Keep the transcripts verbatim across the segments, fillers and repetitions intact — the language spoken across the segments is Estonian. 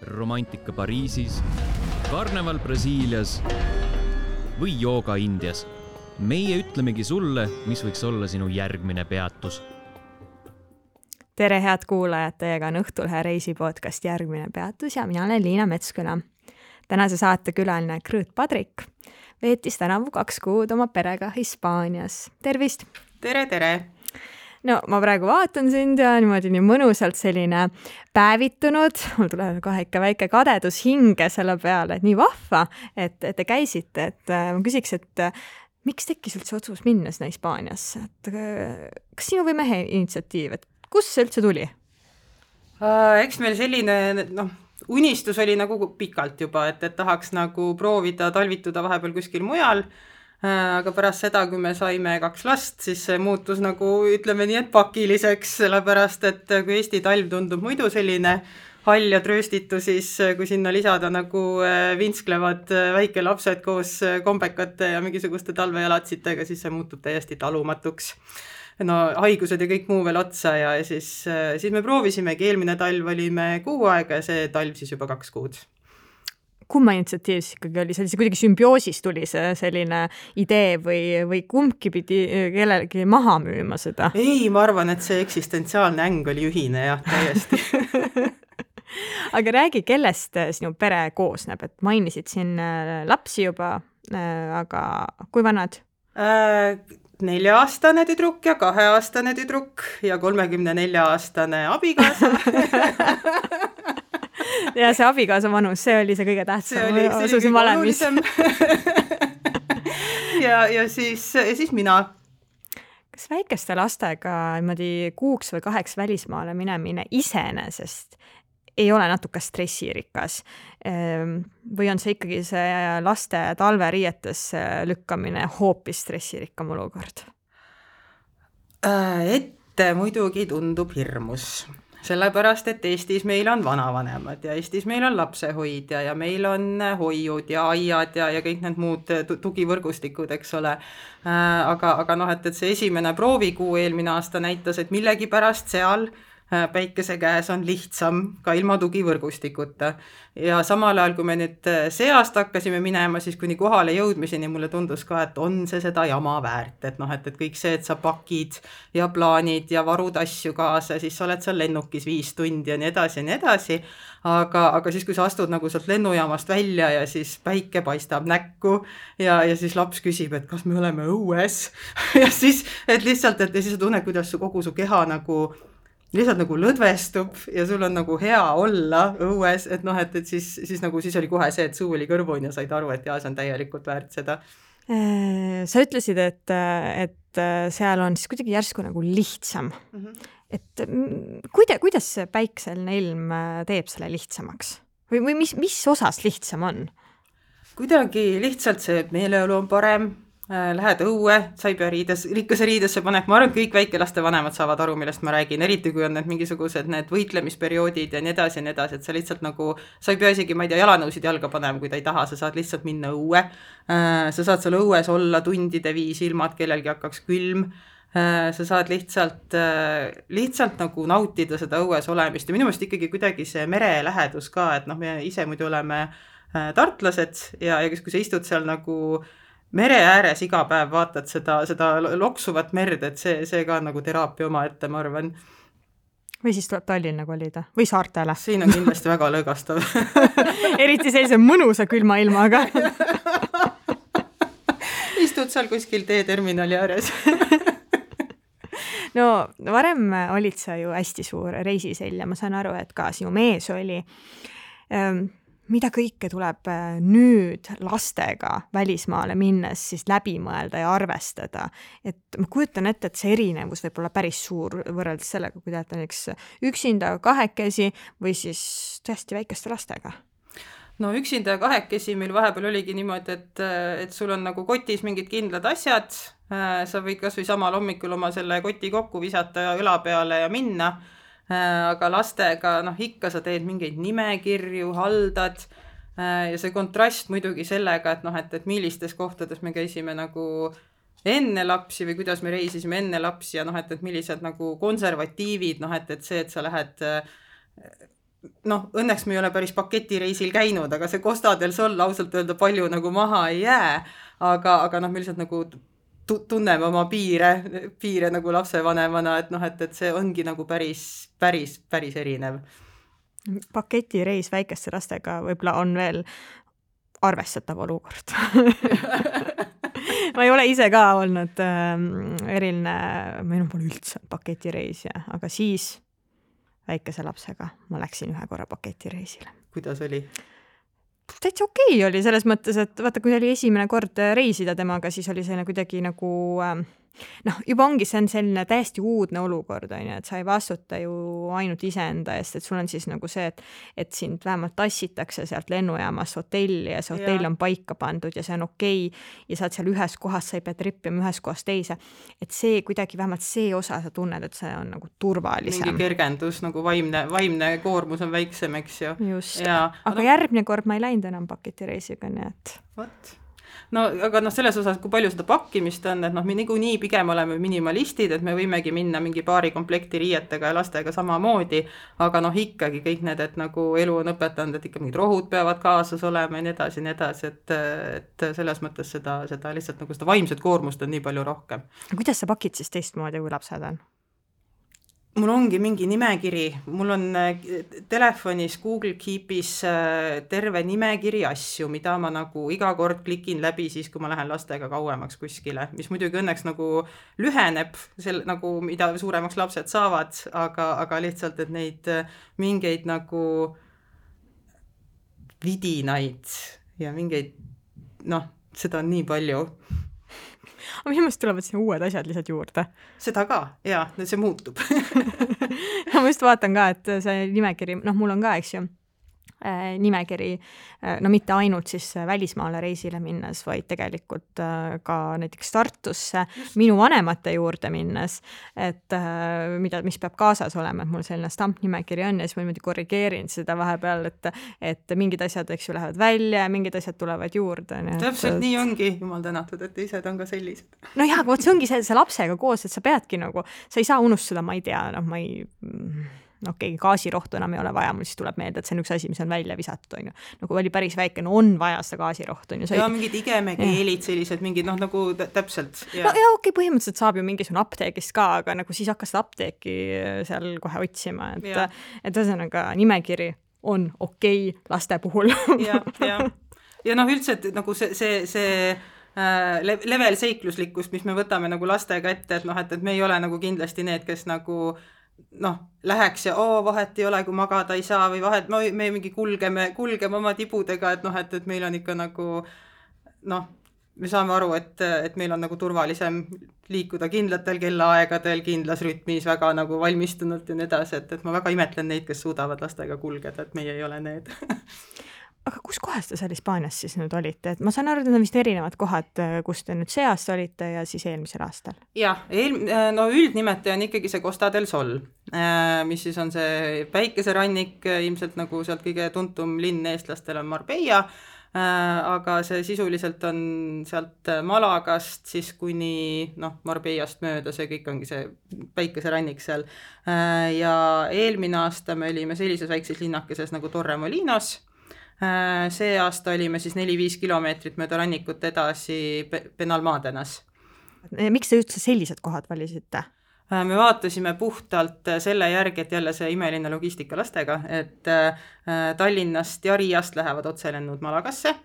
romantika Pariisis, karneval Brasiilias või jooga Indias. Meie ütlemegi sulle, mis võiks olla sinu järgmine peatus. Tere head kuulajad, teiega on Õhtulehe reisipodcast Järgmine peatus ja mina olen Liina Metsküla. Tänase saate külaline Krõõt Padrik veetis tänavu kaks kuud oma perega Hispaanias. Tervist! Tere, tere! No ma praegu vaatan sind ja niimoodi nii mõnusalt selline päevitunud. Mul tuleb kohe ikka väike kadedus hinge selle peale, et nii vahva, et, et te käisite. Et ma küsiks, et miks tekkis üldse otsus minna sinna Hispaaniasse? Et, kas sinu või mehe initsiatiiv? Et kus see üldse tuli? Uh, eks meil selline no, unistus oli nagu pikalt juba, et, et tahaks nagu proovida talvituda vahepeal kuskil mujal. Aga pärast seda, kui me saime kaks last, siis see muutus nagu, ütleme nii, et pakiliseks, sellepärast, et kui Eesti talv tundub muidu selline hall ja trööstitu, siis kui sinna lisada nagu vinsklevad väike lapsed koos kombekate ja mingisuguste talvejalatsitega, siis see muutub täiesti talumatuks. No haigused ja kõik muu veel otsa ja siis, siis me proovisimegi, eelmine talv olime kuu aega ja see talv siis juba kaks kuud. Kumma initsiatiiv ikkagi oli? See kuidagi sümbioosis tuli see selline idee või, või kumbki pidi kellelegi maha müüma seda? Ei, ma arvan, et see eksistentsiaalne äng oli ühine jah, täiesti. Aga räägi, kellest sinu pere koosneb, et mainisid siin lapsi juba, aga kui vanad? Äh, nelja-aastane tüdruk ja kahe-aastane tüdruk ja kolmekümne nelja-aastane abikaasa. Ja see abikaasa vanus, see oli see kõige tähtsam. See oli, see oli kõige olulisem. ja, ja, siis, ja siis mina. Kas väikeste lastega kuuks või kaheks välismaale minemine iseenesest ei ole natuke stressirikas? Või on see ikkagi see laste talveriietes lükkamine hoopis stressirikkam olukord? Ette muidugi tundub hirmus. Sellepärast, et Eestis meil on vanavanemad ja Eestis meil on lapsehoidja ja meil on hoiud ja aiad ja, ja kõik need muud tugivõrgustikud, eks ole. Aga, aga noh, et, et see esimene proovikuu eelmine aasta näitas, et millegi pärast seal päikese käes on lihtsam ka ilma tugivõrgustikuta. Ja samal ajal, kui me nüüd see aasta hakkasime minema, siis kuni kohale jõudmiseni mulle tundus ka, et on see seda jama väärt. Et noh, et, et kõik see, et sa pakid ja plaanid ja varud asju kaasa, siis sa oled seal lennukis viis tundi ja nii edasi ja nii edasi. Aga, aga siis, kui sa astud nagu sealt lennujaamast välja ja siis päike paistab näkku ja, ja siis laps küsib, et kas me oleme õues. ja siis, et lihtsalt, et ja siis sa tunned, kuidas su, kogu su keha nagu lihtsalt nagu lõdvestub ja sul on nagu hea olla õues, et noh, et, et siis, siis nagu siis oli kohe see, et suu oli kõrvun ja said aru, et jaa, see on täielikult väärt seda. Sa ütlesid, et, et seal on siis kuidagi järsku nagu lihtsam. Mm-hmm. Et kuida, kuidas see päikseline ilm teeb selle lihtsamaks? Või, või mis, mis osas lihtsam on? Kuidagi lihtsalt see meeleolu on parem. Lähed õue, sa ei pea riides, rikkase riidesse paneb, ma arvan, et kõik väikelaste vanemad saavad aru, millest ma räägin, eriti kui on need mingisugused need võitlemisperioodid ja nii edasi ja nii edasi, et sa lihtsalt nagu, sa ei pea isegi, ma ei tea, jalanõusid jalga panema, kui ta ei taha, sa saad lihtsalt minna õue, sa saad seal õues olla tundide viis ilma, et kellelgi hakkaks külm, sa saad lihtsalt, lihtsalt nagu nautida seda õues olemist ja minu meelest ikkagi kuidagi see mere lähedus ka, et noh, me ise muidu oleme tartlased ja, ja kui sa istud seal nagu mere ääres iga päev vaatad seda, seda loksuvat merd, et see, see ka nagu teraapia oma ette, ma arvan. Või siis tuleb Tallinna kolida või saartele. Siin on kindlasti väga lõõgastav. Eriti sellise mõnusa külma ilmaga. Istud seal kuskil teeterminali ääres. No varem olid sa ju hästi suur reisisell ja ma saan aru, et ka sinu mees oli. Mida kõike tuleb nüüd lastega välismaale minnes siis läbi mõelda ja arvestada. Et ma kujutan ette, et see erinevus võib olla päris suur võrreldes sellega, kui teete näiteks üksinda kahekesi või siis tõesti väikeste lastega. No üksinda kahekesi meil vahepeal oligi niimoodi, et, et sul on nagu kotis mingid kindlad asjad. Sa võid kas või samal hommikul oma selle koti kokku visata ja õla peale ja minna. Aga lastega, noh, ikka sa teed mingeid nimekirju, haldad ja see kontrast muidugi sellega, et noh, et, et millistes kohtades me käisime nagu enne lapsi või kuidas me reisisime enne lapsi ja noh, et, et millised nagu konservatiivid, noh, et, et see, et sa lähed noh, õnneks me ei ole päris paketireisil käinud, aga see Costa del Sol ausalt öelda palju nagu maha ei jää, aga, aga noh, me lihtsalt nagu tunneme oma piire, piire nagu lapsevanemana, et noh, et, et see ongi nagu päris, päris, päris erinev. Paketireis väikeste lastega võib-olla on veel arvestatav olukord. Ma ei ole ise ka olnud äh, eriline, meil on pole üldse paketireis, ja, aga siis väikese lapsega ma läksin ühe korra paketireisile. Kuidas oli? Täitsa okei oli selles mõttes, et vaata, kui oli esimene kord reisida temaga, siis oli selline kuidagi nagu, noh, juba ongi see on selline täiesti uudne olukord, on ju, et sa ei vastuta ju ainult iseenda eest, et sul on siis nagu see, et, et sind vähemalt tassitakse sealt lennujaamas hotelli ja see hotell on paika pandud ja see on okei ja sa oled seal ühes kohas, sa ei pea trippima ühes kohas teise, et see kuidagi vähemalt see osa sa tunned, et see on nagu turvalisem. Mingi kergendus, nagu vaimne, vaimne koormus on väiksem, eks ju. Just, ja, aga no, järgmine kord ma ei läinud enam paketireisiga, nii et What? No aga noh, selles osas, kui palju seda pakkimist on, et noh, me nagu nii pigem oleme minimalistid, et me võimegi minna mingi paari komplekti riietega ja lastega samamoodi, aga noh, ikkagi kõik need, et nagu elu on õpetanud, et ikka mingid rohud peavad kaasas olema ja nii edasi, nii edasi, et, et selles mõttes seda, seda lihtsalt nagu seda vaimset koormust on nii palju rohkem. Kuidas sa pakid siis teistmoodi, kui lapsed on? Mul ongi mingi nimekiri, mul on telefonis Google Keepis terve nimekiri asju, mida ma nagu iga kord klikin läbi siis, kui ma lähen lastega kauemaks kuskile, mis muidugi õnneks nagu lüheneb, sel, nagu mida suuremaks lapsed saavad, aga, aga lihtsalt, et neid mingeid nagu vidinaid ja mingeid, noh, seda on nii palju. Aga minu meelest tulevad sinna uued asjad lihtsalt juurde. Seda ka, jaa, see muutub. Ma just vaatan ka, et see nimekiri, noh, mul on ka, eks ju, nimekiri, no mitte ainult siis välismaale reisile minnes, vaid tegelikult ka näiteks Tartusse Just. minu vanemate juurde minnes, et mida, mis peab kaasas olema, et mul selline stampnimekiri on ja siis ma niimoodi korrigeerin seda vahepeal, et, et mingid asjad, eks ju, lähevad välja ja mingid asjad tulevad juurde. Täpselt et, nii ongi, jumal tänatud, et teised on ka sellised. No jah, aga see ongi see, see lapsega koos, et sa peadki nagu, sa ei saa unustada, ma ei tea, noh, ma ei okei, okay, gaasirohtu enam ei ole vaja, mul siis tuleb meelde, et see on üks asi, mis on välja visatud, on ju. Nagu oli päris väike, no on vaja seda gaasirohtu, on ju. Ja mingid igemekeelid sellised, mingid, noh, nagu täpselt. Ja. No ja okei, okay, põhimõtteliselt saab ju mingisugune apteegist ka, aga nagu siis hakkas apteeki seal kohe otsima, et, et ühesõnaga nimekiri on okei okay laste puhul. Ja, ja. ja noh, üldse, et nagu see, see, see level seikluslikkust, mis me võtame nagu lastega ette, et noh, et, et me ei ole nagu kindlasti need, kes nagu noh, läheks ja oo, vahet ei ole, kui magada ei saa või vahet, me, me mingi kulgeme, kulgeme oma tibudega, et noh, et, et meil on ikka nagu noh, me saame aru, et, et meil on nagu turvalisem liikuda kindlatel kellaaegadel, kindlas rütmis, väga nagu valmistunult ja nii edasi, et, et ma väga imetlen neid, kes suudavad lastega kulgeda, et meie ei ole need. Aga kus kohas te seal Hispaanias siis nüüd olite? Et ma saan aru, et need on vist erinevad kohad, kus te nüüd see aasta olite ja siis eelmisel aastal. Jah, eel, no üldnimetaja on ikkagi see Costa del Sol, mis siis on see päikeserannik, ilmselt nagu sealt kõige tuntum linn eestlastel on Marbella, aga see sisuliselt on sealt Malagast siis kuni noh, Marbellast mööda, see kõik ongi see päikeserannik seal. Ja eelmine aasta me olime sellises väikses linnakeses nagu Torremolinos. See aasta olime siis neli-viis kilomeetrit mööda rannikut edasi Benalmádenas. Miks te üldse sellised kohad valisite? Me vaatasime puhtalt selle järgi, et jälle see imeline logistika lastega, et Tallinnast ja Riiast lähevad otselennud Malagasse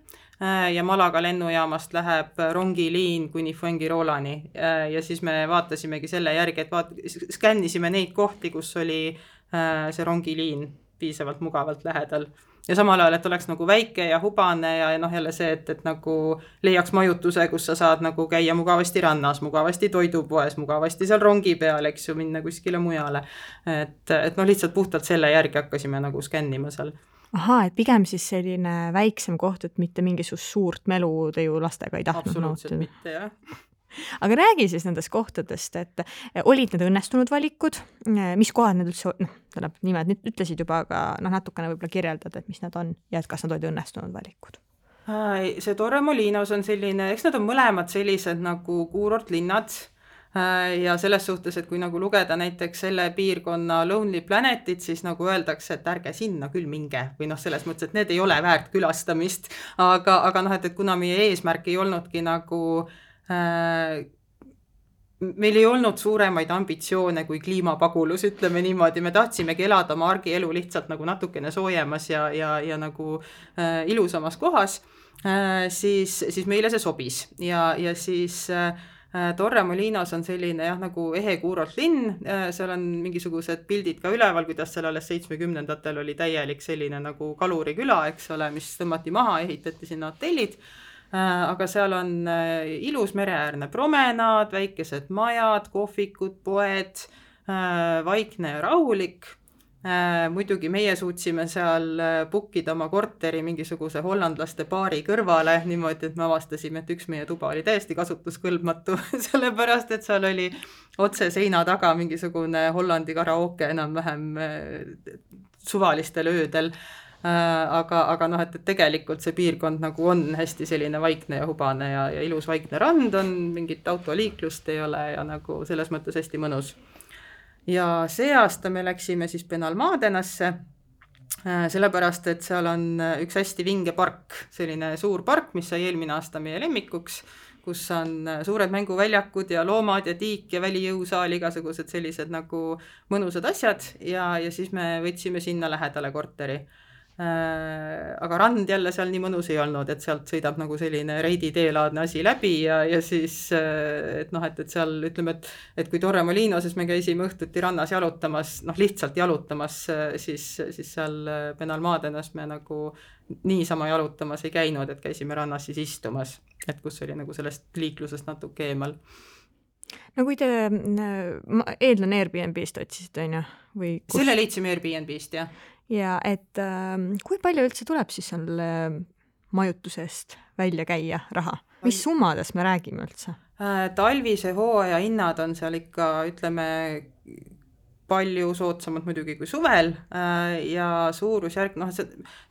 ja Malaga lennujaamast läheb rongiliin kuni Fuengirolani ja siis me vaatasimegi selle järgi, et vaat- skännisime neid kohti, kus oli see rongiliin piisavalt mugavalt lähedal. Ja samal ajal, et oleks nagu väike ja hubane ja noh jälle see, et, et nagu leiaks majutuse, kus sa saad nagu käia mugavasti rannas, mugavasti toidupoes, mugavasti seal rongi peal, eks ju, minna kuskile mujale. Et, et no lihtsalt puhtalt selle järgi hakkasime nagu skännima seal. Aha, et pigem siis selline väiksem koht, et mitte mingisugust suurt melu te ju lastega ei tahtnud. Absoluutselt nautida. Mitte, jah. Aga räägi siis nendest kohtadest, et olid need õnnestunud valikud, mis kohad need üldse, noh, tähendab nimed nüüd ütlesid juba, aga noh, natukene võib-olla kirjeldad, et mis nad on ja et kas nad olid õnnestunud valikud? See Torremolinos on selline, eks nad on mõlemad sellised nagu kuurortlinnad, ja selles suhtes, et kui nagu lugeda näiteks selle piirkonna Lonely Planetit, siis nagu öeldakse, et ärge sinna küll minge või noh, selles mõttes, et need ei ole väärt külastamist, aga, aga noh, et, et kuna meie eesmärk ei olnudki nagu äh, meil ei olnud suuremaid ambitsioone kui kliimapagulus, ütleme niimoodi, me tahtsimegi elada oma argielu lihtsalt nagu natukene soojemas ja, ja, ja nagu äh, ilusamas kohas, äh, siis, siis meile see sobis ja, ja siis äh, Torremolinos on selline jah, nagu ehe kuurort linn, seal on mingisugused pildid ka üleval, kuidas seal alles seitsmekümnendatel oli täielik selline nagu kaluriküla, eks ole, mis tõmmati maha, ehitati sinna hotellid, aga seal on ilus mereäärne promenaad, väikesed majad, kohvikud, poed, vaikne ja rahulik. Muidugi meie suutsime seal bookida oma korteri mingisuguse hollandlaste baari kõrvale niimoodi, et me avastasime, et üks meie tuba oli täiesti kasutuskõlbmatu, sellepärast, et seal oli otse seina taga mingisugune Hollandi karaoke enam-vähem suvalistel öödel. Aga, aga noh, et tegelikult see piirkond nagu on hästi selline vaikne ja hubane ja, ja ilus vaikne rand on, mingit autoliiklust ei ole ja nagu selles mõttes hästi mõnus. Ja see aasta me läksime siis Benalmadenasse, sellepärast, et seal on üks hästi vinge park, selline suur park, mis sai eelmine aasta meie lemmikuks, kus on suured mänguväljakud ja loomad ja tiik ja välijõusaal, igasugused sellised nagu mõnusad asjad ja, ja siis me võtsime sinna lähedale korteri. Aga rand jälle seal nii mõnus ei olnud, et sealt sõidab nagu selline reidi teelaadne asi läbi ja, ja siis, et noh, et, et seal ütleme, et, et kui Torremolinos, siis me käisime õhtuti rannas jalutamas, noh lihtsalt jalutamas, siis, siis seal Benalmadenas me nagu niisama jalutamas ei käinud, et käisime rannas siis istumas, et kus oli nagu sellest liiklusest natuke eemal. No kui te, ma eeldan Airbnb-st otsisid, on ju? Või kus? Selle leidsime Airbnb-st, jah. Ja et äh, kui palju üldse tuleb siis seal majutusest välja käia raha? Mis summades me räägime üldse? Talvise hooaja hinnad on seal ikka, ütleme, palju soodsamad muidugi kui suvel ja suurusjärk, noh,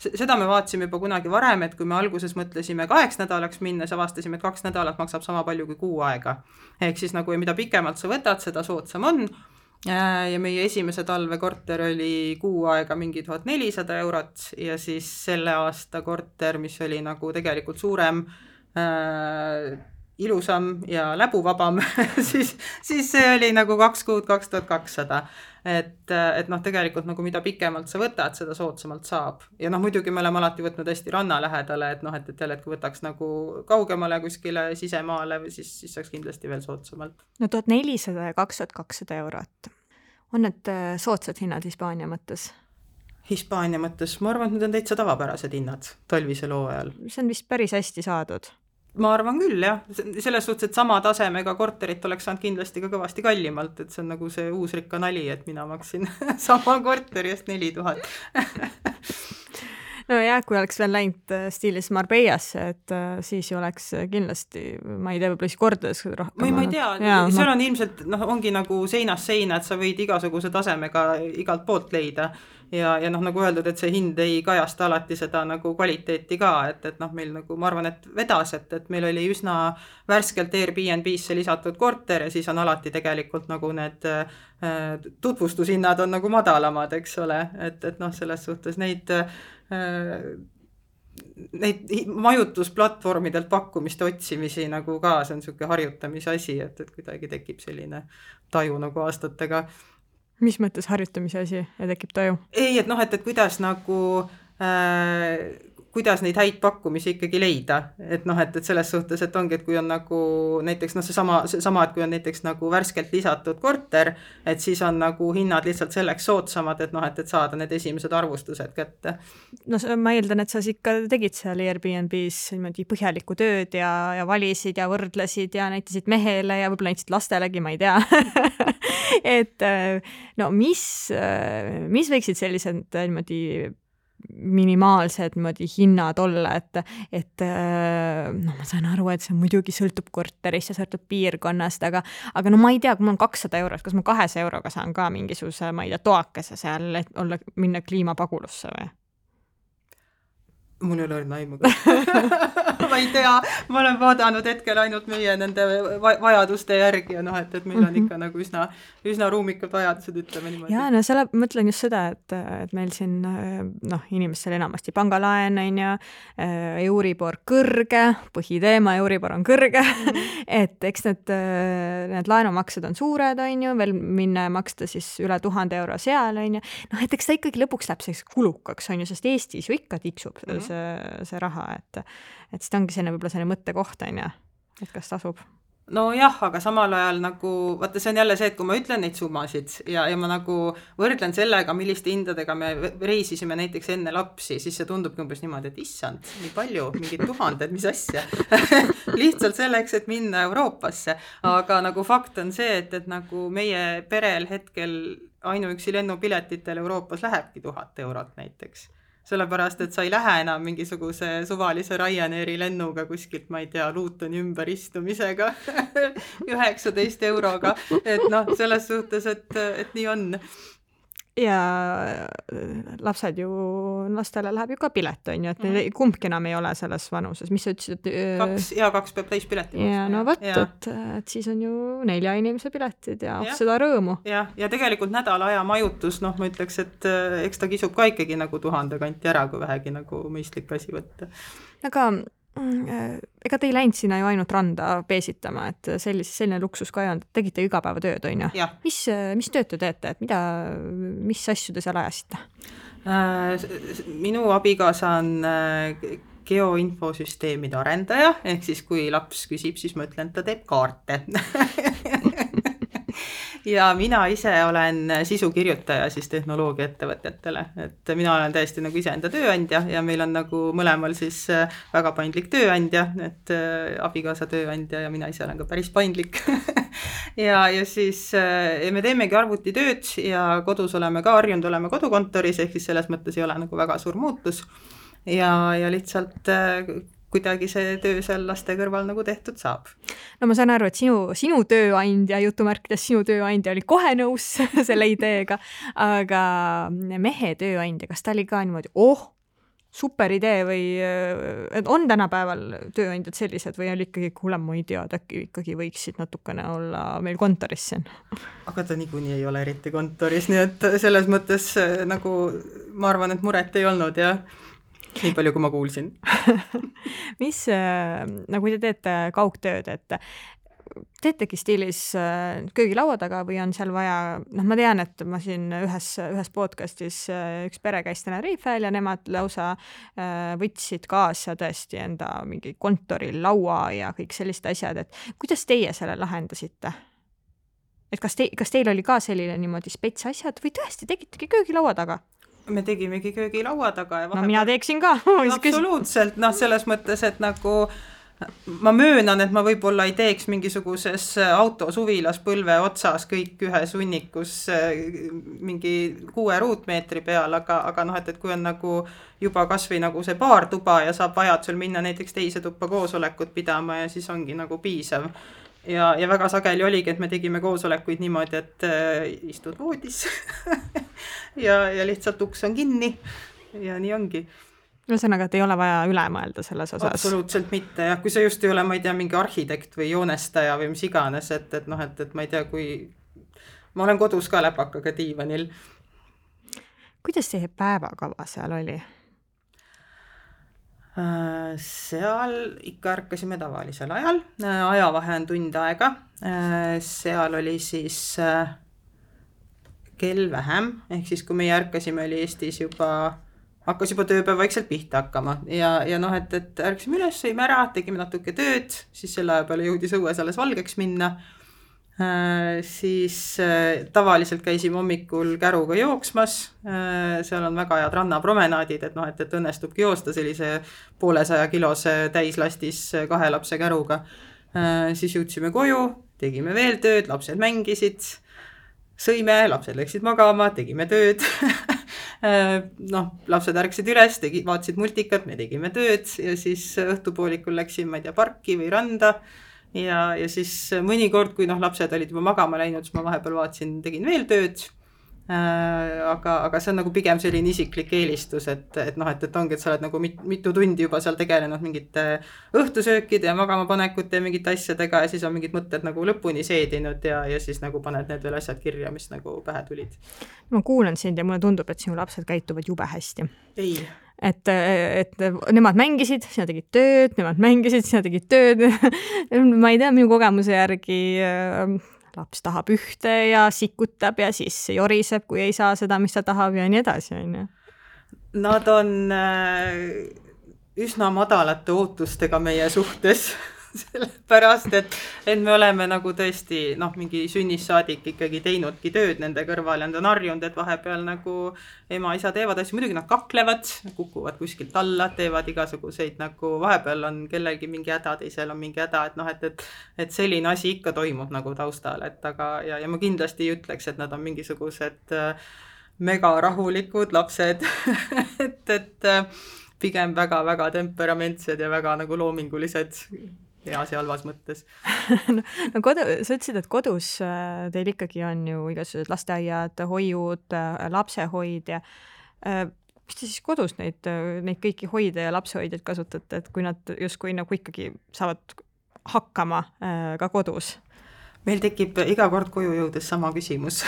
seda me vaatasime juba kunagi varem, et kui me alguses mõtlesime kaheks nädalaks minna, siis avastasime, et kaks nädalat maksab sama palju kui kuu aega. Ehk siis nagu mida pikemalt sa võtad, seda soodsam on. Ja meie esimese talve korter oli kuu aega mingi tuhat nelisada eurot ja siis selle aasta korter, mis oli nagu tegelikult suurem, äh, ilusam ja läbuvabam, siis, siis see oli nagu kaks kuud kaks tuhat kakssada. Et, et noh, tegelikult nagu mida pikemalt sa võtad, seda soodsamalt saab. Ja noh, muidugi me oleme alati võtnud hästi ranna lähedale, et noh, et, et jälle, et kui võtaks nagu kaugemale kuskile sisemaale, siis, siis saaks kindlasti veel soodsamalt. No tuhat nelisada ja kaks tuhat kakssada eurot. On need soodsad hinnad Hispaania mõttes? Hispaania mõttes, ma arvan, et need on täitsa tavapärased hinnad talvisel hooajal. See on vist päris hästi saadud. Ma arvan küll, jah. Selles suhtes, et sama tasemega korterit oleks saanud kindlasti ka kõvasti kallimalt, et see on nagu see uusrikka nali, et mina maksin sama korteri eest neli tuhat. No jah, kui oleks veel läinud stiilis Marbeiasse, et siis ju oleks kindlasti, ma ei tea, võib-olla siis kordades rohkem. Ma, ma ei tea, ja, seal on ilmselt, noh, ongi nagu seinas seina, et sa võid igasuguse tasemega igalt poolt leida. Ja, ja noh, nagu öeldud, et see hind ei kajasta alati seda nagu kvaliteeti ka, et, et noh, meil nagu, ma arvan, et vedas, et, et meil oli üsna värskelt Airbnb-sse lisatud korter ja siis on alati tegelikult nagu need äh, tutvustushinnad on nagu madalamad, eks ole, et, et noh, selles suhtes neid äh, neid majutusplatvormidelt pakkumiste otsimisi nagu ka, see on niisugune harjutamise asi, et, et kuidagi tekib selline taju nagu aastatega. Mis mõttes harjutamise asi ja tekib taju? Ei, et noh, et, et kuidas nagu, äh, kuidas neid häid pakkumisi ikkagi leida. Et noh, et, et selles suhtes, et ongi, et kui on nagu näiteks, noh, see sama, see sama, et kui on näiteks nagu värskelt lisatud korter, et siis on nagu hinnad lihtsalt selleks soodsamad, et noh, et, et saada need esimesed arvustused kätte. No ma eeldan, et sa ikka tegid seal Airbnb-s põhjalikku tööd ja, ja valisid ja võrdlesid ja näitasid mehele ja võib-olla näitasid lastelegi, ma ei tea. Et no mis, mis võiksid sellised niimoodi minimaalsed niimoodi hinnad olla, et, et no ma saan aru, et see muidugi sõltub korterist ja sõltub piirkonnast, aga, aga no ma ei tea, kui mul on kakssada eurot, kas ma kahesaja euroga saan ka mingisuguse, ma ei tea, toakese seal, et olla, minna kliimapagulusse või? Mul ei ole õrna aimu. Ma ei tea, ma olen vaadanud hetkel ainult meie nende vajaduste järgi ja noh, et, et meil on ikka nagu üsna, üsna ruumikad vajadused, ütleme niimoodi. Jaa, no selle mõtlen just seda, et, et meil siin noh, inimestel enamasti pangalaen on ja Euribor kõrge, põhiteema Euribor on kõrge, et eks need, need laenumaksed on suured, on ju, veel minna ja maksta siis üle tuhande euro seal, on ju. Noh, et eks ta ikkagi lõpuks läheb selleks kulukaks, on ju, sest Eestis ju ikka tiksub mm -hmm. see, see raha, et, et seda ongi selline võib-olla selline mõttekoht, on ju, et kas tasub. No jah, aga samal ajal nagu, vaata see on jälle see, et kui ma ütlen neid summasid ja, ja ma nagu võrdlen sellega, milliste hindadega me reisisime näiteks enne lapsi, siis see tundubki umbes niimoodi, et issand, nii palju, mingid tuhanded, mis asja. Lihtsalt selleks, et minna Euroopasse. Aga nagu fakt on see, et, et nagu meie perel hetkel ainuüksi lennupiletitel Euroopas lähebki tuhat eurot näiteks. Sellepärast, et sa ei lähe enam mingisuguse suvalise Ryanairi lennuga kuskilt, ma ei tea, Lutoni ümberistumisega üheksateist euroga, et noh, selles suhtes, et, et nii on. Ja lapsed ju, lastele läheb ju ka pilet, on ju, et mm. kumbki enam ei ole selles vanuses, mis sa ütlesid, et kaks, ja kaks peab täis pileti. Ja no võt, et, et siis on ju nelja inimese piletid ja, ja seda rõõmu. Ja, ja tegelikult nädala aja majutus, noh, ma ütleks, et eks ta kisub ka ikkagi nagu tuhande kanti ära, kui vähegi nagu mõistlik asi võtta. Aga ega te ei läinud sinna ju ainult randa peesitama, et sellise, selline luksus ka ei olnud, tegite igapäevatööd, on ju? Mis, mis tööd te teete, et mida, mis asju te seal ajasite? Minu abikaasa on geoinfosüsteemide arendaja, ehk siis kui laps küsib, siis ma ütlen, ta teeb kaarte. Ja mina ise olen sisukirjutaja siis tehnoloogiaettevõtetele, et mina olen täiesti nagu iseenda tööandja ja meil on nagu mõlemal siis väga paindlik tööandja, et abikaasa tööandja ja mina ise olen ka päris paindlik. ja, ja siis ja me teemegi arvutitööd ja kodus oleme ka harjunud, oleme kodukontoris, ehk siis selles mõttes ei ole nagu väga suur muutus ja, ja lihtsalt kuidagi see töö seal laste kõrval nagu tehtud saab. No ma saan aru, et sinu, sinu tööandja, jutumärkides sinu tööandja oli kohe nõus selle ideega, aga mehe tööandja, kas ta oli ka niimoodi, oh, super idee või on tänapäeval tööandjad sellised või oli ikkagi, kuule, ma ei tea, et äkki ikkagi võiksid natukene olla meil kontoris siin? Aga ta niikuinii ei ole eriti kontoris, nii et selles mõttes nagu ma arvan, et muret ei olnud ja nii palju, kui ma kuulsin. Mis, nagu te teete kaugtööd, et teetegi stiilis köögilaua taga või on seal vaja, noh ma tean, et ma siin ühes, ühes podcastis üks pere käis Tenerifel ja nemad lausa võtsid kaasa tõesti enda mingi kontoril laua ja kõik sellised asjad, et kuidas teie selle lahendasite? Et kas, te, kas teil oli ka selline niimoodi spets asjad või tõesti tegitegi köögilaua taga? Me tegimegi köögilaua taga. Ja no mina teeksin ka. Absoluutselt, noh selles mõttes, et nagu ma möönan, et ma võib-olla ei teeks mingisuguses autosuvilas põlve otsas kõik ühes hunnikus mingi kuue ruutmeetri peal, aga, aga noh, et, et kui on nagu juba kas või nagu see paar tuba ja saab vajadusel minna näiteks teise tuppa koosolekut pidama ja siis ongi nagu piisav. Ja, ja väga sageli oligi, et me tegime koosolekuid niimoodi, et äh, istud voodis ja, ja lihtsalt uks on kinni ja nii ongi. Ühesõnaga, et ei ole vaja üle mõelda selles osas. Absoluutselt mitte, ja kui see just ei ole, ma ei tea, mingi arhitekt või joonestaja või mis iganes, et, et noh, et, et ma ei tea, kui ma olen kodus ka läpakaga diivanil. Kuidas teie päevakava seal oli? Seal ikka ärkasime tavalisel ajal, ajavahe on tund aega, seal oli siis kell vähem, ehk siis kui meie ärkasime, oli Eestis juba, hakkas juba tööpäev vaikselt pihta hakkama ja, ja noh, et, et ärkasime üles, sõime ära, tegime natuke tööd, siis selle aja peale jõudis õues alles valgeks minna. Äh, siis äh, tavaliselt käisime hommikul käruga jooksmas, äh, seal on väga head rannapromenaadid, et noh, et, et õnnestubki joosta sellise poolesaja kilose täislastis kahe lapse käruga. Äh, siis jõudsime koju, tegime veel tööd, lapsed mängisid, sõime, lapsed läksid magama, tegime tööd. äh, noh, lapsed ärksid üles, tegi, vaatasid multikat, me tegime tööd ja siis õhtupoolikul läksin, ma ei tea, parki või randa. Ja, ja siis mõnikord, kui noh, lapsed olid juba magama läinud, siis ma vahepeal vaatasin, tegin veel tööd aga, aga see on nagu pigem selline isiklik eelistus, et, et noh, et, et ongi, et sa oled nagu mit, mitu tundi juba seal tegelenud mingite õhtusöökide ja magamapanekute ja mingite asjadega ja siis on mingid mõtted nagu lõpuni seedinud ja, ja siis nagu paned need veel asjad kirja, mis nagu pähe tulid. Ma kuulen sind ja mulle tundub, et sinu lapsed käituvad jube hästi. Ei. Et, et nemad mängisid, sina tegid tööd, nemad mängisid, sina tegid tööd. Ma ei tea, minu kogemuse järgi laps tahab ühte ja sikutab ja siis joriseb, kui ei saa seda, mis ta tahab ja nii edasi. Nad on üsna madalate ootustega meie suhtes, sellepärast, et, et me oleme nagu tõesti noh, mingi sünnissaadik ikkagi teinudki tööd nende kõrval ja nad on harjunud, et vahepeal nagu ema, isa teevad asju, muidugi nad kaklevad, kukuvad kuskilt alla, teevad igasuguseid nagu vahepeal on kellelgi mingi häda, teisel on mingi häda, et noh, et, et, et selline asi ikka toimub nagu taustal, et aga ja, ja ma kindlasti ei ütleks, et nad on mingisugused mega rahulikud lapsed, et, et pigem väga-väga temperamentsed ja väga nagu loomingulised heas ja halvas mõttes. no, no kodu, sa ütlesid, et kodus teil ikkagi on ju igasugused lasteaiad, hoiud, lapsehoid ja mis te siis kodus neid, neid kõiki hoide ja lapsehoidjaid kasutate, et kui nad justkui nagu ikkagi saavad hakkama ka kodus? Meil tekib iga kord koju jõudes sama küsimus.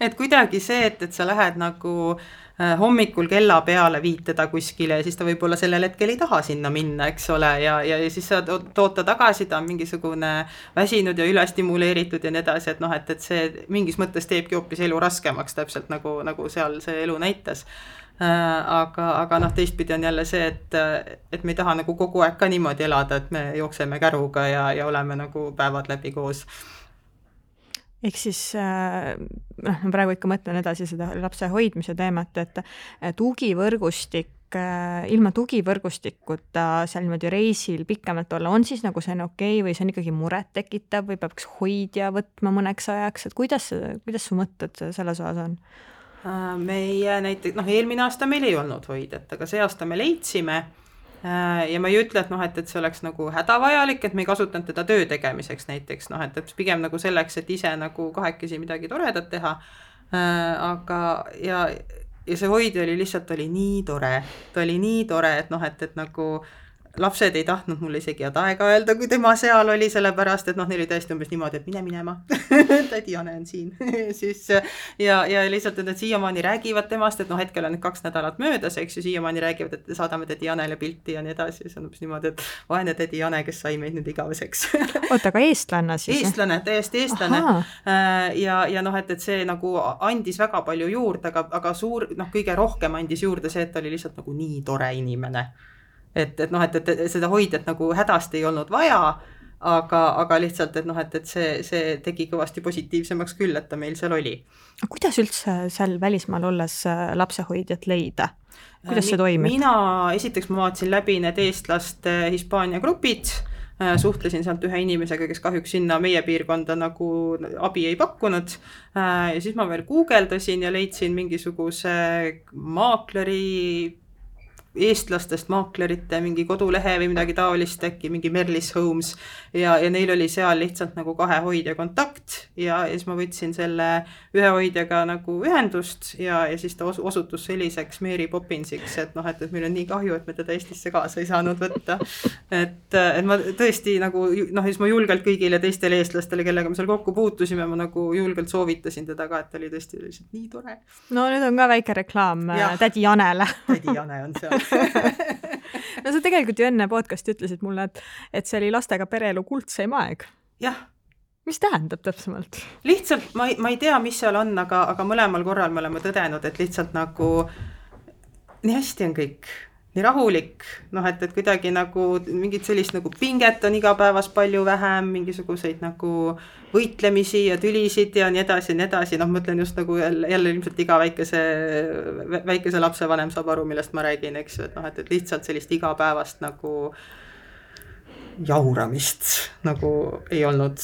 et kuidagi see, et, et sa lähed nagu hommikul kella peale viitada kuskile ja siis ta võib-olla sellel hetkel ei taha sinna minna, eks ole, ja, ja, ja siis sa tood ta tagasi, ta on mingisugune väsinud ja ülestimuleeritud ja nii edasi, et noh, et, et see mingis mõttes teebki hoopis elu raskemaks, täpselt nagu, nagu seal see elu näitas. Aga, aga noh, teistpidi on jälle see, et, et me ei taha nagu kogu aeg ka niimoodi elada, et me jookseme käruga ja, ja oleme nagu päevad läbi koos. Ehk siis, noh, ma praegu ikka mõtlen edasi seda lapse hoidmise teemat, et tugivõrgustik, ilma tugivõrgustikuta seal niimoodi reisil pikemalt olla, on siis nagu see on okei või see on ikkagi muret tekitav või peaks hoidja võtma mõneks ajaks, et kuidas, kuidas su mõtted selles osas on? Meie näiteks, noh, eelmine aasta meil ei olnud hoidjat, aga see aasta me leidsime ja ma ei ütle, et noh, et, et see oleks nagu hädavajalik, et me ei kasutanud teda töö tegemiseks näiteks, noh, et, et pigem nagu selleks, et ise nagu kahekesi midagi toredat teha, aga ja, ja see hoidja oli lihtsalt, oli nii tore, ta oli nii tore, et noh, et, et nagu lapsed ei tahtnud mulle isegi head aega öelda, kui tema seal oli, sellepärast, et noh, neil oli tõesti umbes niimoodi, et mine minema, tädi Jane on siin. siis, ja, ja lihtsalt, et nad siiamaani räägivad temast, et noh, hetkel on kaks nädalat möödas, eks ju, siiamaani räägivad, et saadame tädi Janele pilti ja nii edasi, see on umbes niimoodi, et vaene tädi Jane, kes sai meid nüüd igaveseks. Oota, aga eestlanna siis? Eestlane, täiesti eestlane. Ja, ja noh, et, et see nagu andis väga palju juurde, aga, aga suur, noh, kõige rohkem andis juurde see, et ta oli lihtsalt nagu nii tore inimene. Et, et noh, et, et seda hoidjat nagu hädasti ei olnud vaja, aga, aga lihtsalt, et noh, et, et see, see tegi kõvasti positiivsemaks küll, et ta meil seal oli. Kuidas üldse seal välismaal olles lapsehoidjat leida? Kuidas see toimib? Mina, esiteks ma vaatasin läbi need eestlaste Hispaania grupid, suhtlesin sealt ühe inimesega, kes kahjuks sinna meie piirkonda nagu abi ei pakkunud ja siis ma veel guugeldasin ja leidsin mingisuguse maakleri eestlastest maaklerite mingi kodulehe või midagi taolist, äkki mingi Merlis Homes ja, ja neil oli seal lihtsalt nagu kahe hoidja kontakt ja, ja siis ma võtsin selle ühe hoidjaga nagu ühendust ja, ja siis ta osutus selliseks Mary Poppinsiks, et noh, et, et meil on nii kahju, et me teda Eestisse kaasa ei saanud võtta. Et, et ma tõesti nagu, noh, siis ma julgelt kõigile teistele eestlastele, kellega me seal kokku puutusime, ma nagu julgelt soovitasin teda ka, et ta oli tõesti lihtsalt nii tore. No nüüd on ka väike reklaam ja. Tädi Janele. Tädi Jane on seal. no sa tegelikult ju enne podcasti ütlesid mulle, et, et see oli lastega pereelu kuldseim aeg. Jah. Mis tähendab täpsemalt? Lihtsalt ma ei, ma ei tea, mis seal on, aga, aga mõlemal korral me oleme tõdenud, et lihtsalt nagu nii hästi on kõik, nii rahulik, noh, et, et kuidagi nagu mingit sellist nagu pinget on igapäevas palju vähem, mingisuguseid nagu võitlemisi ja tülisid ja nii edasi ja nii edasi, noh, mõtlen just nagu jälle, jälle ilmselt iga väikese, väikese lapsevanem saab aru, millest ma räägin, eks ju, et noh, et, et lihtsalt sellist igapäevast nagu jauramist nagu ei olnud.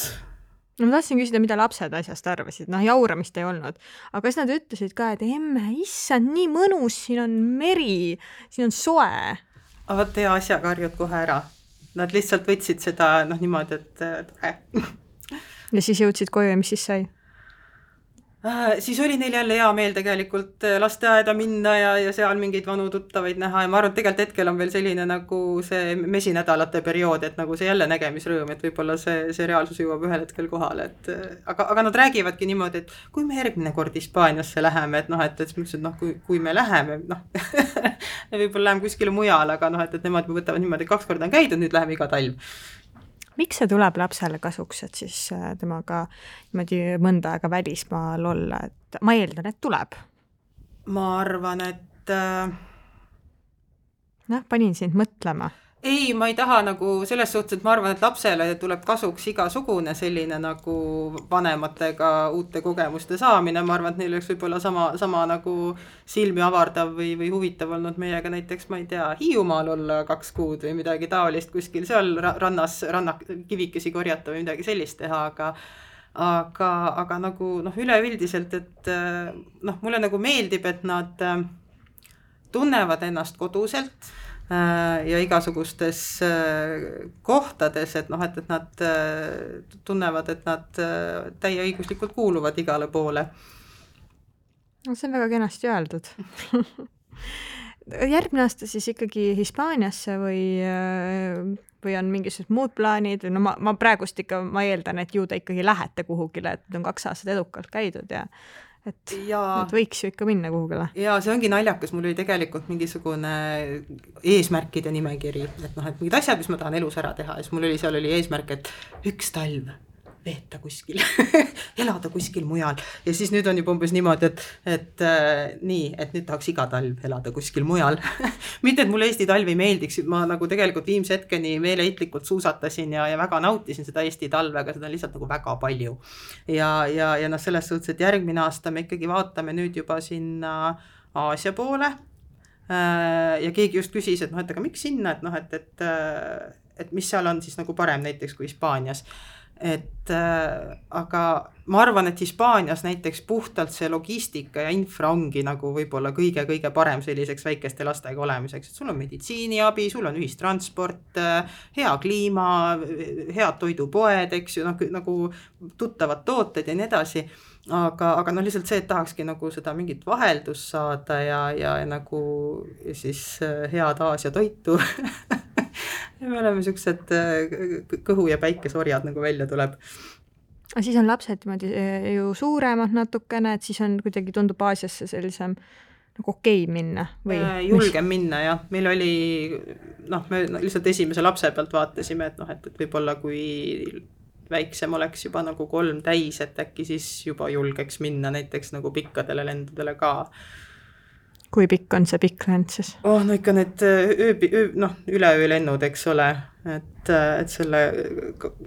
No ma tahtsin küsida, mida lapsed asjast arvasid, noh jauramist ei olnud, aga kas nad ütlesid ka, et emme, issand, nii mõnus, siin on meri, siin on soe. Aga tee asjaga harjud kohe ära. Nad lihtsalt võtsid seda, noh niimoodi, et äh. ja siis jõudsid koju ja mis siis sai? Äh, siis oli neil jälle hea meel tegelikult lasteaeda minna ja, ja seal mingeid vanu tuttavaid näha ja ma arvan, et tegelikult hetkel on veel selline nagu see mesinädalate periood, et nagu see jälle nägemisrõõm, et võib-olla see, see reaalsus jõuab ühel hetkel kohale, et aga, aga nad räägivadki niimoodi, et kui me järgmine kord Hispaaniasse läheme, et noh, et, et, et noh, kui, kui me läheme, noh võib-olla läheme kuskile mujal, aga noh, et, et nemad võtavad niimoodi, kaks korda on käidud, nüüd läheme iga talv. Miks see tuleb lapsele kasuks, et siis temaga niimoodi mõnda aega välismaal olla, et ma eeldan, et tuleb? Ma arvan, et äh... noh, panin sind mõtlema. Ei, ma ei taha nagu selles suhtes, et ma arvan, et lapsele tuleb kasuks igasugune selline nagu vanematega uute kogemuste saamine. Ma arvan, et neil oleks võib-olla sama, sama nagu silmi avardav või, või huvitav olnud meiega näiteks, ma ei tea, Hiiumaal olla kaks kuud või midagi taolist kuskil seal rannas, rannak, kivikesi korjata või midagi sellist teha, aga aga, aga nagu noh, üleüldiselt, et noh, mulle nagu meeldib, et nad tunnevad ennast koduselt ja igasugustes kohtades, et noh, et, et nad tunnevad, et nad täieõiguslikult kuuluvad igale poole. No, see on väga kenasti öeldud. Järgmine aasta siis ikkagi Hispaaniasse või, või on mingisugused muud plaanid? No ma, ma praegust ikka, ma eeldan, et ju te ikkagi lähete kuhugile, et on kaks aastat edukalt käidud ja et, ja, et võiks ju ikka minna kuhugile. Ja see ongi naljakas, mul oli tegelikult mingisugune eesmärkide nimekiri, et noh, et mingid asjad, mis ma tahan elus ära teha, ja siis mul oli, seal oli eesmärk, et üks talv veeta kuskil, elada kuskil mujal. Ja siis nüüd on juba umbes niimoodi, et, et äh, nii, et nüüd tahaks iga talv elada kuskil mujal. Mitte, et mulle Eesti talvi meeldiks, ma nagu tegelikult viimse hetkeni meeleheitlikult suusatasin ja, ja väga nautisin seda Eesti talve, aga seda on lihtsalt nagu väga palju. Ja, ja, ja noh, selles suhtes, et järgmine aasta me ikkagi vaatame nüüd juba sinna Aasia poole äh, ja keegi just küsis, et noh, et aga miks sinna, et noh, et, et, et mis seal on siis nagu parem näiteks kui Hispaanias. Et äh, aga ma arvan, et Hispaanias näiteks puhtalt see logistika ja infra ongi nagu võib-olla kõige-kõige parem selliseks väikeste lastega olemiseks, et sul on meditsiiniabi, sul on ühistransport, hea kliima, head toidupoed, eks ju, noh, nagu tuttavad tooted ja nii edasi, aga, aga noh, lihtsalt see, et tahakski nagu seda mingit vaheldust saada ja, ja, ja nagu ja siis head Aasia toitu ja me oleme sellised kõhu- ja päikesorjad nagu välja tuleb. Aga siis on lapsed ju suuremad natukene, et siis on kuidagi tundub Aasiasse sellisem nagu okei minna või? Julgem minna, jah. Meil oli, noh, me lihtsalt esimese lapse pealt vaatasime, et noh, et, et võib-olla kui väiksem oleks juba nagu kolm täis, et äkki siis juba julgeks minna näiteks nagu pikkadele lendudele ka. Kui pikk on see pikk lend siis? Oh, no ikka need öö, öö, noh, üleöö lennud, eks ole, et, et selle,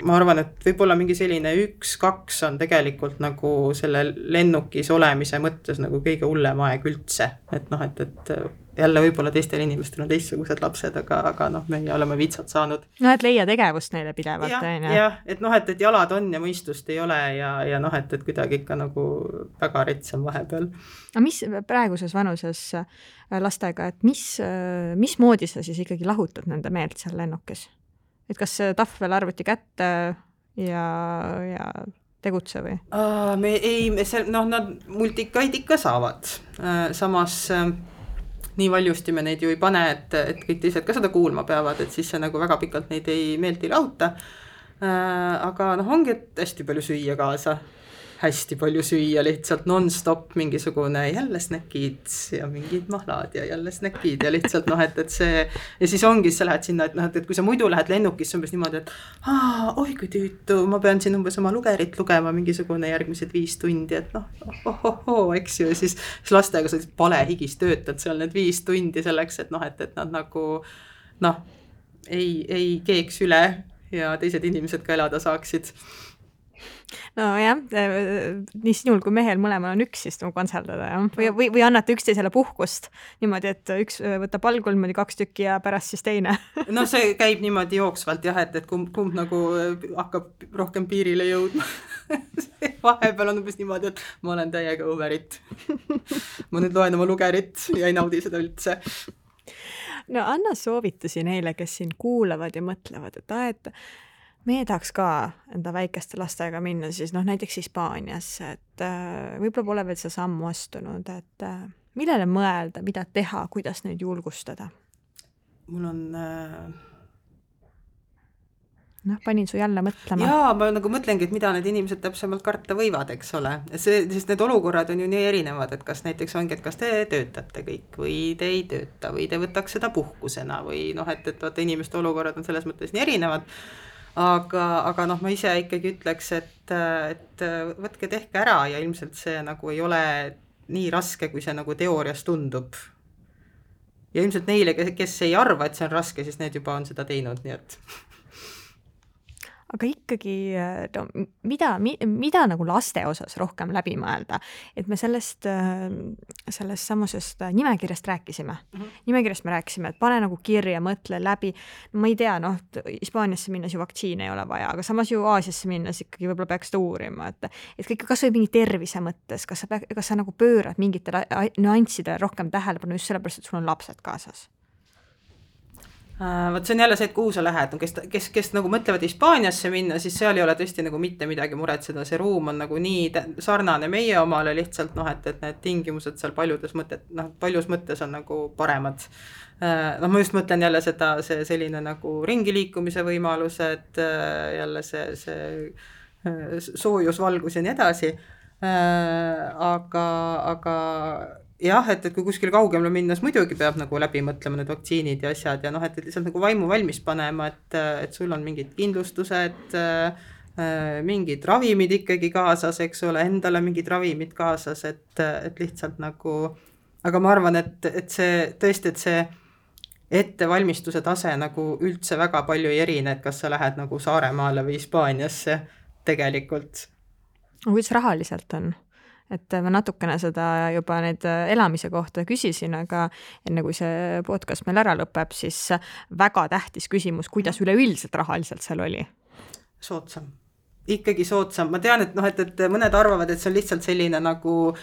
ma arvan, et võib-olla mingi selline üks, kaks on tegelikult nagu selle lennukis olemise mõttes nagu kõige hullem aeg üldse, et noh, et, et jälle võib-olla teistel inimestel on teistsugused lapsed, aga, aga noh, meie oleme vitsad saanud. No, et leia tegevust neile pidevalt. Jah, ja, et noh, et, et jalad on ja mõistust ei ole ja, ja noh, et, et kuidagi ikka nagu väga retsam vahepeal. Aga mis praeguses vanuses lastega, et mis, mis moodi sa siis ikkagi lahutad nende meelt seal lennukis? Et kas tahvel arvuti kätte ja, ja tegutse või? Aa, me ei, me seal, noh, nad multikaid ikka saavad. Samas nii valjusti me neid ju ei pane, et, et kõik teised ka seda kuulma peavad, et siis see nagu väga pikalt neid ei meelt ei lahuta. Aga noh, ongi, et hästi palju süüa kaasa. Hästi palju süüa, lihtsalt non-stop mingisugune jälle snäkid ja mingid mahlad ja jälle snäkid ja lihtsalt noh, et, et see ja siis ongi, sa lähed sinna, et noh, et kui sa muidu lähed lennukisse umbes niimoodi, et aa, oi kui tüütu, ma pean siin umbes oma lugerit lugema mingisugune järgmised viis tundi, et noh, oh, oh, oh, eks ju, ja siis, siis lastega sa palehigis töötad seal need viis tundi selleks, et noh, et, et nad nagu noh, ei, ei keeks üle ja teised inimesed ka elada saaksid. No jah, nii sinul kui mehel mõlemal on üks siis kontserdada ja? või, või, või annate üksteisele puhkust niimoodi, et üks võtab algul niimoodi kaks tükki ja pärast siis teine? No see käib niimoodi jooksvalt jah, et, et kumb, kumb nagu hakkab rohkem piirile jõudma. Vahepeal on umbes niimoodi, et ma olen täiega õverit. Ma nüüd loen oma lugerit ja ei naudi seda üldse. No anna soovitusi neile, kes siin kuulavad ja mõtlevad, et, et meie tahaks ka enda väikeste lastega minna siis noh, näiteks Hispaaniasse, et äh, võib-olla pole veel see sammu astunud, et äh, millele mõelda, mida teha, kuidas neid julgustada? Mul on... Äh... noh, panin su jälle mõtlema. Jaa, ma nagu mõtlengi, et mida need inimesed täpsemalt karta võivad, eks ole. See, sest need olukorrad on ju nii erinevad, et kas näiteks ongi, et kas te töötate kõik või te ei tööta või te võtaks seda puhkusena või noh, et, et vaata inimeste olukorrad on selles mõttes nii erinevad. Aga, aga noh, ma ise ikkagi ütleks, et, et võtke tehke ära ja ilmselt see nagu ei ole nii raske, kui see nagu teoorias tundub. Ja ilmselt neile, kes ei arva, et see on raske, siis need juba on seda teinud, nii et... Aga ikkagi, no, mida, mida nagu laste osas rohkem läbi mõelda, et me sellest, sellest samusest nimekirjast rääkisime. Mm-hmm. Nimekirjast me rääkisime, et pane nagu kirja, mõtle läbi. No, ma ei tea, noh, Hispaaniasse minnes ju vaktsiine ei ole vaja, aga samas ju Aasiasse minnes ikkagi võib-olla peaks ta uurima, et, et kõik, kas või mingi tervise mõttes, kas sa, peak, kas sa nagu pöörad mingitele nüanssidele rohkem tähelepanu just sellepärast, et sul on lapsed kaasas? Uh, võt see on jälle see, et kuhu sa lähed, no, kes, kes, kes nagu mõtlevad Hispaaniasse minna, siis seal ei ole tõesti nagu mitte midagi muretseda, see ruum on nagu nii sarnane meie omale lihtsalt, noh, et, et need tingimused seal paljudes mõtted, noh, paljus mõttes on nagu paremad. Uh, noh, ma just mõtlen jälle seda, see selline nagu ringiliikumise võimalused, uh, jälle see, see uh, soojusvalgus ja nii edasi, uh, aga, aga jah, et, et kui kuskil kaugemale minnes muidugi peab nagu läbi mõtlema need vaktsiinid ja asjad ja noh, et, et lihtsalt nagu vaimu valmis panema, et, et sul on mingid kindlustused, mingid ravimid ikkagi kaasas, eks ole, endale mingid ravimid kaasas, et, et lihtsalt nagu, aga ma arvan, et, et see tõesti, et see ettevalmistuse tase nagu üldse väga palju ei erine, et kas sa lähed nagu Saaremaale või Hispaaniasse tegelikult. Kuidas rahaliselt on? Et ma natukene seda juba need elamise kohta küsisin, aga enne kui see podcast meil ära lõpeb, siis väga tähtis küsimus, kuidas üleüldiselt rahaliselt seal oli? Soodsam. Ikkagi soodsam. Ma tean, et, noh, et, et mõned arvavad, et see on lihtsalt selline nagu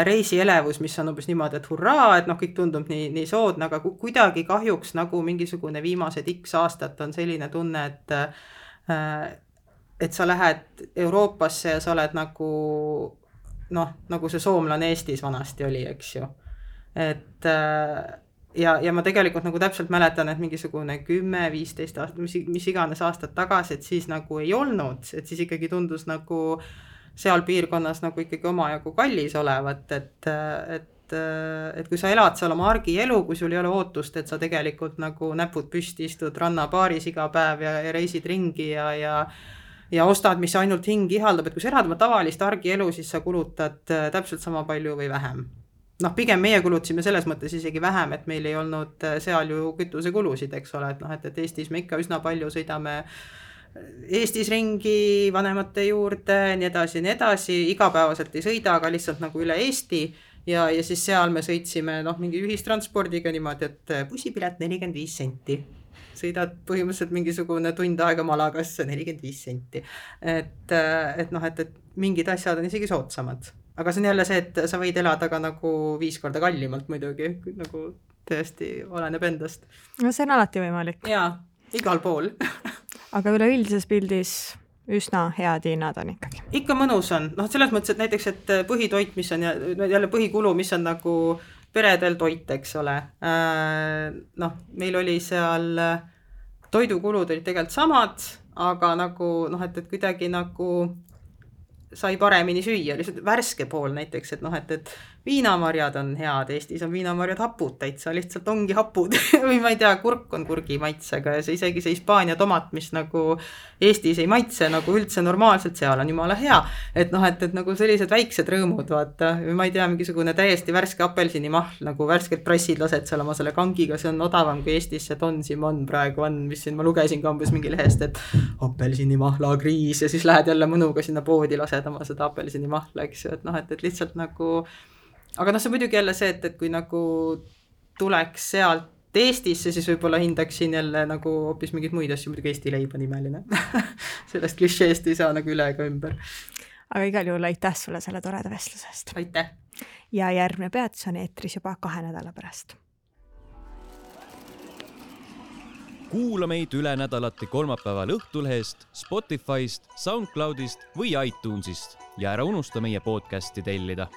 reisielevus, mis on umbes niimoodi, et hurraa, et noh, kõik tundub nii, nii soodne, aga kuidagi kahjuks nagu mingisugune viimased X aastat on selline tunne, et, et sa lähed Euroopasse ja sa oled nagu noh, nagu see soomlane Eestis vanasti oli, eks ju. Et ja, ja ma tegelikult nagu täpselt mäletan, et mingisugune kümme, viisteist aastat, mis, mis iganes aastat tagasi, et siis nagu ei olnud, et siis ikkagi tundus nagu seal piirkonnas nagu ikkagi omajagu kallis olevat, et, et, et kui sa elad seal oma argielu, kui sul ei ole ootust, et sa tegelikult nagu näpud püsti istud rannapaaris iga päev ja, ja reisid ringi ja, ja ja ostad, mis ainult hing ihaldab, et kui sa elad oma tavalist argielu, siis sa kulutad täpselt sama palju või vähem. Noh, pigem meie kulutasime selles mõttes isegi vähem, et meil ei olnud seal ju kütusekulusid, eks ole, et noh, et, et Eestis me ikka üsna palju sõidame Eestis ringi vanemate juurde, nii edasi, nii edasi, igapäevaselt ei sõida, aga lihtsalt nagu üle Eesti ja, ja siis seal me sõitsime noh, mingi ühistranspordiga niimoodi, et bussipilet nelikümmend viis senti. Sõidad põhimõtteliselt mingisugune tund aega Malagasse nelikümmend viis senti. Et, et noh, et, et mingid asjad on isegi soodsamad. Aga see on jälle see, et sa võid elada ka nagu viis korda kallimalt muidugi, nagu tõesti oleneb endast. No see on alati võimalik. Jaa, igal pool. Aga üleüldises pildis üsna head hinnad on ikkagi. Ikka mõnus on. Noh, selles mõttes, et näiteks, et põhitoit, mis on jälle põhikulu, mis on nagu peredel toit, eks ole. Noh, meil oli seal toidukulud olid tegelikult samad, aga nagu, noh, et, et kuidagi nagu sai paremini süüa, lihtsalt värske pool näiteks, et noh, et, et viinamarjad on head, Eestis on viinamarjad hapud täitsa, lihtsalt ongi hapud või ma ei tea, kurk on kurgi maitsega ja see isegi see Hispaania tomat, mis nagu Eestis ei maitse nagu üldse normaalselt, seal on jumala hea, et noh, et, et nagu sellised väiksed rõõmud, vaata, ma ei tea, mingisugune täiesti värske apelsinimahl, nagu värsked prassid lased seal oma selle kangiga, see on odavam kui Eestis see Don Simon praegu on, mis siin ma lugesin kambus mingi lehest, et apelsinimahla kriis ja siis lähed jälle mõnuga sinna poodi, lased oma seda apelsinimahla, eks ju, et noh, et, et lihtsalt nagu aga noh, see muidugi jälle see, et, et kui nagu tuleks sealt Eestisse, siis võib-olla hindaksin jälle nagu hoopis mingid muid asju, muidugi Eesti leib on imeline. Sellest klišeest ei saa nagu üle ega ümber. Aga igal juhul aitäh sulle selle toreda vestlusest. Aitäh. Ja järgmine peatus on eetris juba kahe nädala pärast. kuula meid üle nädalati kolmapäeval Õhtulehest, Spotify'st, SoundCloud'ist või iTunes'ist ja ära unusta meie podcasti tellida.